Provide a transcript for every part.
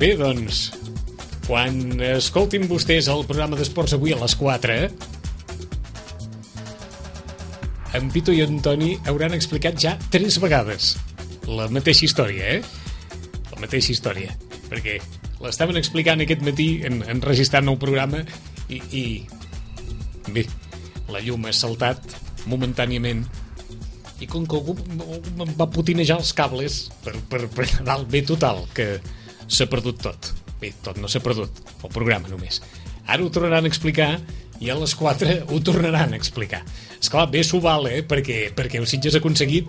Bé, doncs, quan escoltin vostès el programa d'esports avui a les 4, en Pito i en Toni hauran explicat ja 3 vegades la mateixa història, La mateixa història. Perquè l'estaven explicant aquest matí enregistrant el programa i bé, la llum ha saltat momentàniament i com que algú em va potinejar els cables per dalt, bé, total, que s'ha perdut tot. Bé, tot no s'ha perdut, el programa només. Ara ho tornaran a explicar i a les 4 ho tornaran a explicar. Esclar, bé s'ho val, perquè el Sitges ha aconseguit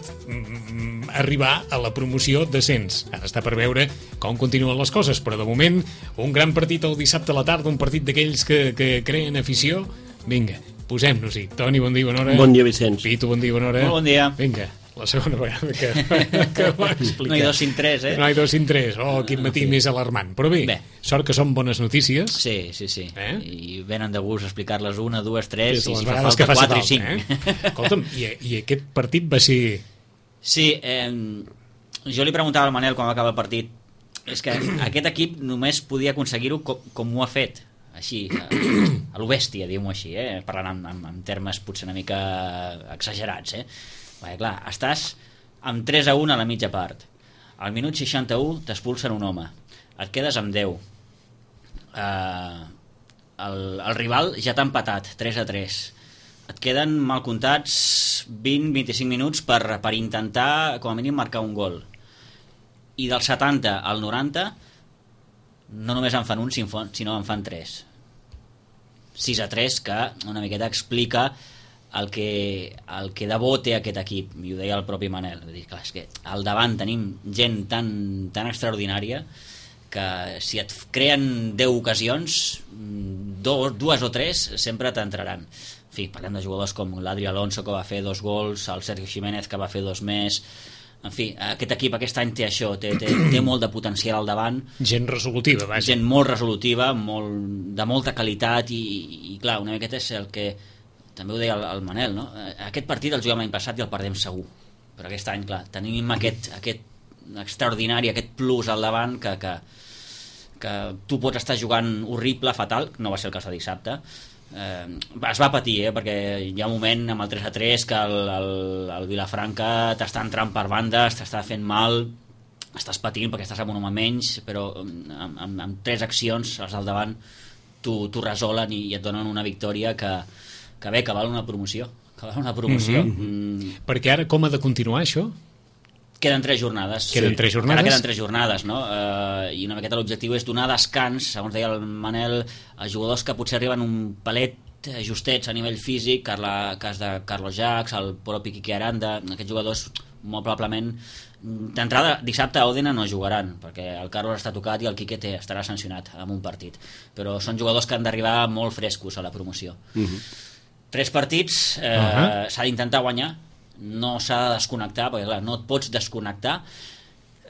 arribar a la promoció d'ascens. Ara està per veure com continuen les coses, però de moment un gran partit el dissabte a la tarda, un partit d'aquells que creen afició. Vinga, posem-nos-hi. Toni, bon dia, bona hora. Bon dia, Vicenç. Pito, bon dia, bona hora. Molt bon dia. Vinga, la segona vegada que va explicar. No hi ha 2 sin 3, No hi ha 2 sin 3. Oh, quin matí més alarmant. Però bé, sort que són bones notícies. Sí. I venen de gust explicar-les 1, 2, 3 i si fa falta 4 i 5. Escolta'm, i aquest partit va ser... Sí, jo li preguntava al Manel quan va acabar el partit, és que aquest equip només podia aconseguir-ho com ho ha fet, així, a lo bèstia, diguem-ho així, parlant en termes potser una mica exagerats, perquè clar, estàs amb 3-1 a la mitja part, al minut 61 t'expulsen un home, et quedes amb 10, el rival ja t'ha empatat 3-3, et queden mal comptats 20-25 minuts per intentar com a mínim marcar un gol, i del 70 al 90 no només en fan un, sinó en fan 3. 6-3, que una miqueta explica el que de bo té aquest equip, i ho deia el propi Manel. Vull dir, clar, és que al davant tenim gent tan extraordinària que si et creen 10 ocasions, 2 o 3 sempre t'entraran. En fi, parlem de jugadors com l'Adri Alonso, que va fer 2 gols, el Sergio Jiménez, que va fer 2 més. En fi, aquest equip aquest any té això, té molt de potencial al davant. Gent resolutiva, vaja. Gent molt resolutiva, de molta qualitat i clar, una miqueta és el que també ho deia el Manel, no? Aquest partit el juguem l'any passat i el perdem segur, però aquest any, clar, tenim aquest extraordinari, aquest plus al davant que tu pots estar jugant horrible, fatal, no va ser el cas de dissabte. Es va patir, perquè hi ha un moment amb el 3-3 que el Vilafranca t'està entrant per bandes, t'està fent mal, estàs patint perquè estàs amb un home menys, però amb 3 accions els al davant t'ho resolen i et donen una victòria que val una promoció, Perquè ara com ha de continuar això? Queden 3 jornades. Queden 3 jornades? Ara queden 3 jornades, no? I una miqueta l'objectiu és donar descans, segons deia el Manel, a jugadors que potser arriben un palet justets a nivell físic, cas de Carlos Jacs, el propi Quique Aranda, aquests jugadors molt probablement d'entrada dissabte a Òdena no jugaran, perquè el Carlos està tocat i el Quique estarà sancionat en un partit, però són jugadors que han d'arribar molt frescos a la promoció. 3 partits, s'ha d'intentar guanyar, no s'ha de desconnectar, perquè clar, no et pots desconnectar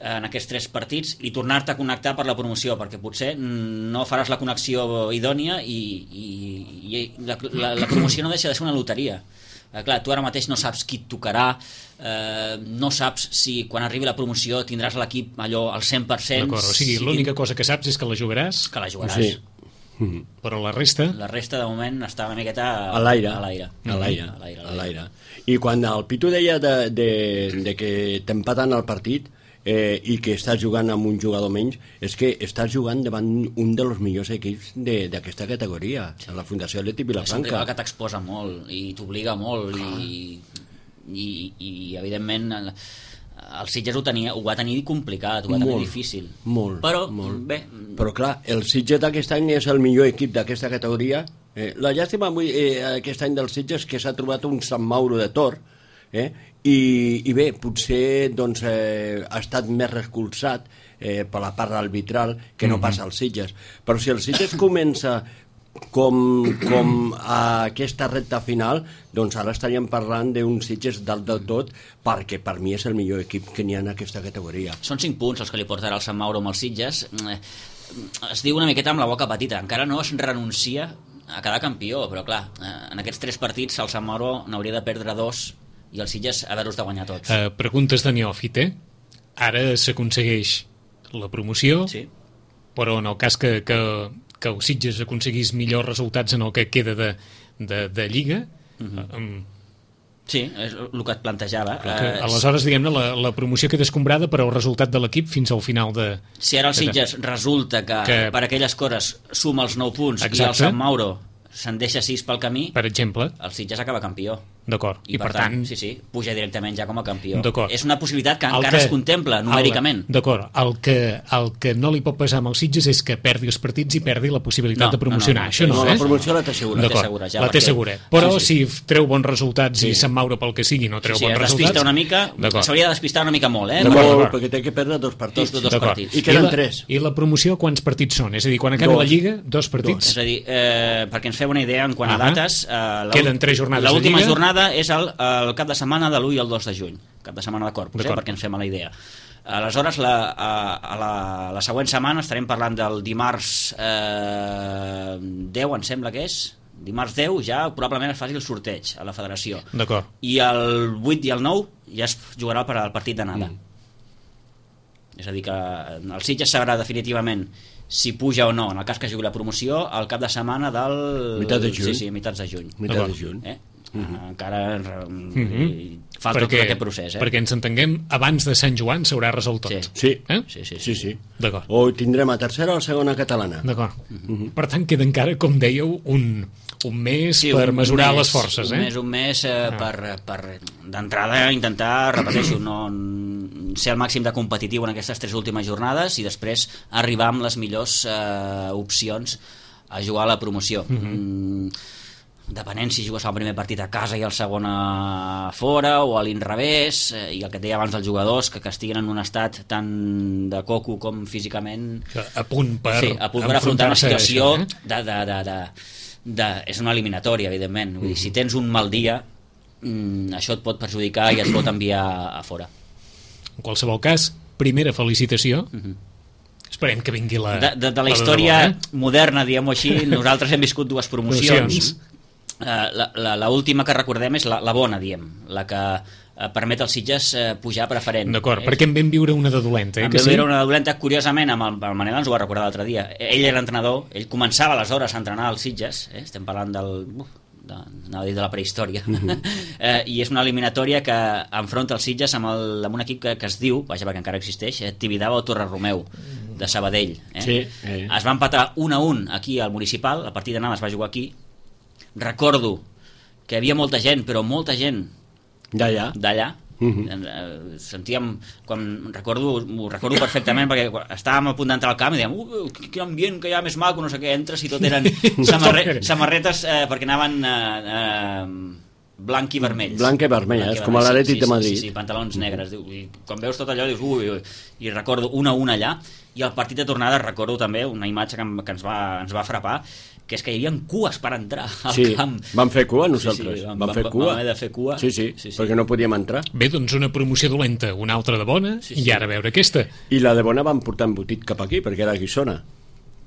en aquests 3 partits i tornar-te a connectar per la promoció, perquè potser no faràs la connexió idònia i la promoció no deixa de ser una loteria. Clar, tu ara mateix no saps qui et tocarà, no saps si quan arribi la promoció tindràs l'equip allò al 100%. D'acord, o sigui, l'única cosa que saps és que la jugaràs. Que la jugaràs. Sí. Però la resta de moment està una miqueta a l'aire. I quan el Pitu deia de que t'empaten el partit i que estàs jugant amb un jugador menys, és que estàs jugant davant un dels millors equips d'aquesta categoria, a la Fundació Atlètic Vilafranca. És un rival que t'exposa molt i t'obliga molt i evidentment el Sitges ho va tenir complicat, ho va tenir difícil. Però clar, el Sitges d'aquest any és el millor equip d'aquesta categoria. La llàstima aquest any del Sitges que s'ha trobat un Sant Mauro de Tor, i bé, potser doncs, ha estat més recolzat per la part arbitral que no passa al Sitges. Però si el Sitges comença com a aquesta recta final, doncs ara estaríem parlant d'un Sitges dalt del tot, perquè per mi és el millor equip que n'hi ha en aquesta categoria. Són 5 punts els que li portarà el Sant Mauro amb els Sitges. Es diu una miqueta amb la boca petita, encara no es renuncia a quedar campió, però clar, en aquests 3 partits el Sant Mauro n'hauria de perdre 2 i el Sitges haver-los de guanyar tots. Preguntes de neòfit, Ara s'aconsegueix la promoció. Sí. però en el cas que el Sitges aconseguís millors resultats en el que queda de Lliga, Sí, és el que et plantejava. Aleshores, diguem-ne, la promoció queda escombrada per al resultat de l'equip fins al final de... Si ara el Sitges resulta que per aquelles coses suma els 9 punts i el Sant Mauro se'n deixa 6 pel camí, per exemple, el Sitges acaba campió. D'acord. I per tant, sí, puja directament ja com a campió. És una possibilitat que encara es contempla numèricament. D'acord. El que no li pot passar amb els Sitges és que perdi els partits i perdi la possibilitat de promocionar. Això no, la promoció la té segura. La té segura. Però si treu bons resultats i Sant Mauro pel que sigui no treu bons resultats... Despista una mica, s'hauria de despistar una mica molt, Molt, perquè té que perdre 2 partits. Dos partits. I queden 3. I la promoció quants partits són? És a dir, quan acaba la Lliga, 2 partits? És a dir, perquè ens feu una idea en quant a dates... Queden 3 jornades de Lliga. L'última jornada és el cap de setmana de l'1 i el 2 de juny, cap de setmana de Corpus, perquè ens fem a la idea. Aleshores, la següent setmana estarem parlant del dimarts 10, em sembla que és, dimarts 10 ja probablement es faci el sorteig a la federació. D'acord. I el 8 i el 9 ja es jugarà el partit d'anada. És a dir, que el Sitges sabrà definitivament si puja o no, en el cas que jugui la promoció, al cap de setmana del... Mitat de juny. Sí, mitats de juny. Mitat de juny. Encara falta tot aquest procés. Perquè ens entenguem, abans de Sant Joan s'haurà resolt tot. Sí. Sí. D'acord. O tindrem a tercera o a segona catalana. D'acord. Per tant, queda encara, com dèieu, un mes per mesurar les forces. Un mes per d'entrada intentar, repeteixo, no ser el màxim de competitiu en aquestes 3 últimes jornades i després arribar amb les millors opcions a jugar a la promoció. Depenent si jugues el primer partit a casa i el segon a fora o a l'inrevés, i el que et deia abans dels jugadors que estiguin en un estat tant de coco com físicament a punt per afrontar una situació és una eliminatòria, evidentment. Vull dir, si tens un mal dia, això et pot perjudicar i et pot enviar a fora. En qualsevol cas, primera felicitació. Esperem que vingui de la història moderna, diguem-ho així. Nosaltres hem viscut 2 promocions. La última que recordem és la bona, diem, la que permet als Sitges pujar preferent. D'acord, perquè en vam viure una de dolenta. En vam viure una de dolenta, curiosament, amb el Manel ens ho va recordar l'altre dia. Ell era entrenador, ell començava aleshores a entrenar als Sitges, estem parlant anava a dir de la prehistòria, i és una eliminatòria que enfronta els Sitges amb un equip que es diu, vaja, perquè encara existeix, Tibidabo o Torre Romeu, de Sabadell. Es va empatar 1-1 aquí al Municipal, el partit d'anada es va jugar aquí. Recordo que hi havia molta gent, però molta gent d'allà. Sentíem, ho recordo perfectament, perquè estàvem a punt d'entrar al camp i dèiem, quin ambient que hi ha més maco, no sé què, entres i tot eren samarretes perquè anaven blanc i vermells. Blanc i vermelles, com a l'Atlètic de Madrid. Sí, pantalons negres. I quan veus tot allò dius, i recordo 1-1 allà, i al partit de tornada recordo també una imatge que ens va frapar, que és que hi havia cues per entrar al camp. Vam fer cua nosaltres. Vam fer cua. Vam haver de fer cua. Sí, perquè no podíem entrar. Bé, doncs una promoció dolenta, una altra de bona, i ara veure aquesta. I la de bona van portar embotit cap aquí, perquè era Guissona.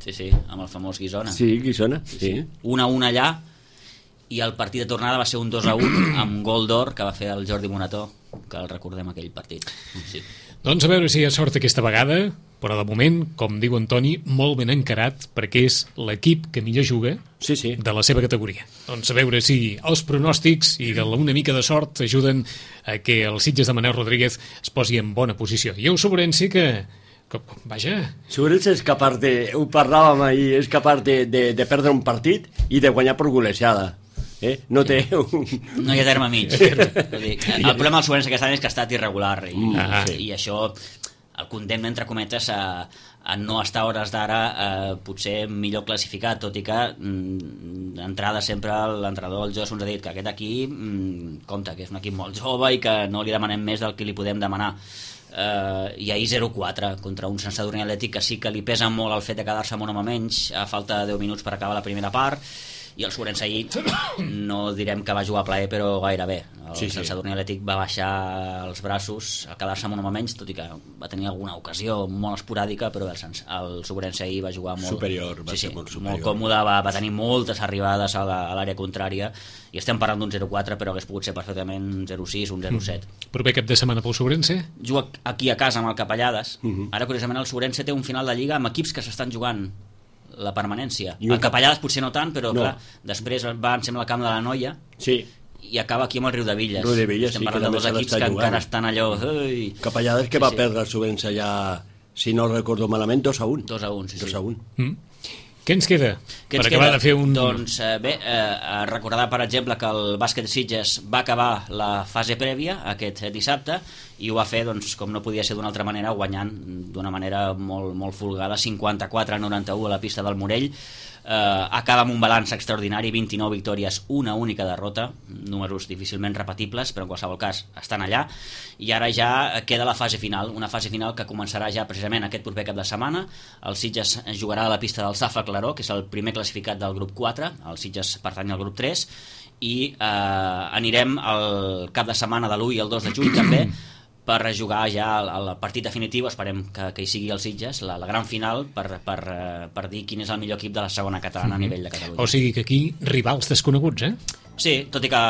Sí, amb el famós Guissona. Sí, Guissona, sí. 1-1 allà, i el partit de tornada va ser un 2-1 amb gol d'or que va fer el Jordi Monató, que el recordem aquell partit. Doncs a veure si hi ha sort aquesta vegada, però de moment, com diu Antoni, molt ben encarat, perquè és l'equip que millor juga de la seva categoria. Doncs a veure si els pronòstics i una mica de sort ajuden a que el Sitges de Manel Rodríguez es posi en bona posició. I el Sobrense que vaja... Sobrense és capaç ho parlàvem ahir, és capaç de perdre un partit i de guanyar per golejada. No té no hi ha terme mig. El problema del Sobrense aquest any és que ha estat irregular i això el condemna, entre cometes, a no estar a hores d'ara potser millor classificat, tot i que d'entrada sempre l'entrenador del Jos ens ha dit que aquest equip compte, que és un equip molt jove i que no li demanem més del que li podem demanar. I ahir 0-4 contra un Sant Sadurní Atlètic que sí que li pesa molt el fet de quedar-se amb un home menys a falta de 10 minuts per acabar la primera part, i el Sobrense ahir no direm que va jugar a plaer, però gairebé. El Sant Sadurní Atlètic va baixar els braços a quedar-se amb un home menys, tot i que va tenir alguna ocasió molt esporàdica, però el Sobrense ahir va jugar molt superior, va ser molt superior, molt còmode, va tenir moltes arribades a l'àrea contrària, i estem parlant d'un 0-4, però hagués pogut ser perfectament un 0-6, un 0-7. Proper cap de setmana pel Sobrense? Juga aquí a casa amb el Capellades. Ara, curiosament, el Sobrense té un final de Lliga amb equips que s'estan jugant la permanència. El Capellades potser no tant, però clar, després va, em sembla, al camp de la Noia, i acaba aquí amb el Riudevilles. Estem parlant de dos equips que encara estan allò... Capellades que va perdre el Sobrense ja, si no recordo malament, 2-1. 2-1, sí. 2-1. Què ens queda per acabar de fer un... Doncs bé, recordar, per exemple, que el bàsquet Sitges va acabar la fase prèvia aquest dissabte, i ho va fer, doncs, com no podia ser d'una altra manera, guanyant d'una manera molt, molt folgada, 54-91 a la pista del Morell. Acaba amb un balanç extraordinari, 29 victòries, una única derrota, números difícilment repetibles, però en qualsevol cas estan allà, i ara ja queda la fase final, una fase final que començarà ja precisament aquest proper cap de setmana. El Sitges jugarà a la pista del Safa Claró, que és el primer classificat del grup 4, el Sitges pertany al grup 3, i anirem al cap de setmana de l'1 i el 2 de juny també, per jugar ja el partit definitiu, esperem que hi sigui el Sitges, la gran final, per dir quin és el millor equip de la segona catalana a nivell de Catalunya. O sigui que aquí rivals desconeguts, eh? Sí, tot i que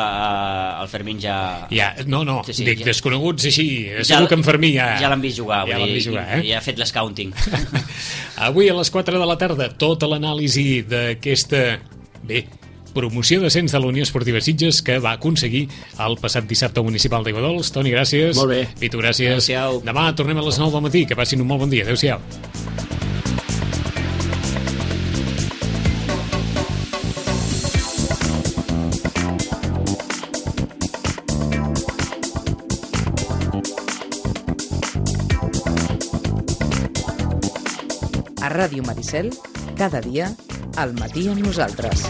el Fermín ja... No, dic desconeguts així, segur que en Fermí ja... Ja l'han vist jugar, ja ha fet l'escouting. Avui a les 4 de la tarda, tota l'anàlisi d'aquesta... promoció d'ascens de la Unió Esportiva Sitges, que va aconseguir el passat dissabte municipal d'Aiguadols. Toni, gràcies. Molt bé. Pitu, gràcies. Adéu-siau. Demà tornem a les 9 del matí. Que passin un molt bon dia. Adéu-siau. A Ràdio Maricel, cada dia, al matí amb nosaltres.